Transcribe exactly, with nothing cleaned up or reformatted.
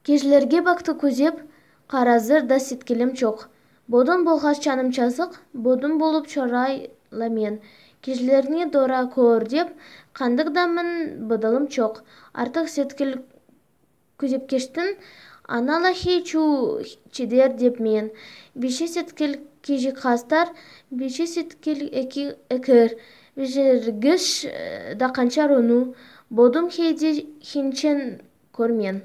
Кежилерге бакты көзеп, каразыр да сеткилим жок. Бодун болгоч жаным жазык, бодун болуп чорайла мен. Кежилерни дора коор деп, кандык да мен быдалым жок. Артык сеткил күзепкечтин ана лахи чуу чедер деп мен. Биши сеткил кижикастар, биши сеткил эки экир, бишергиш да канча рууну. Бодум хейди хинчен көр мен.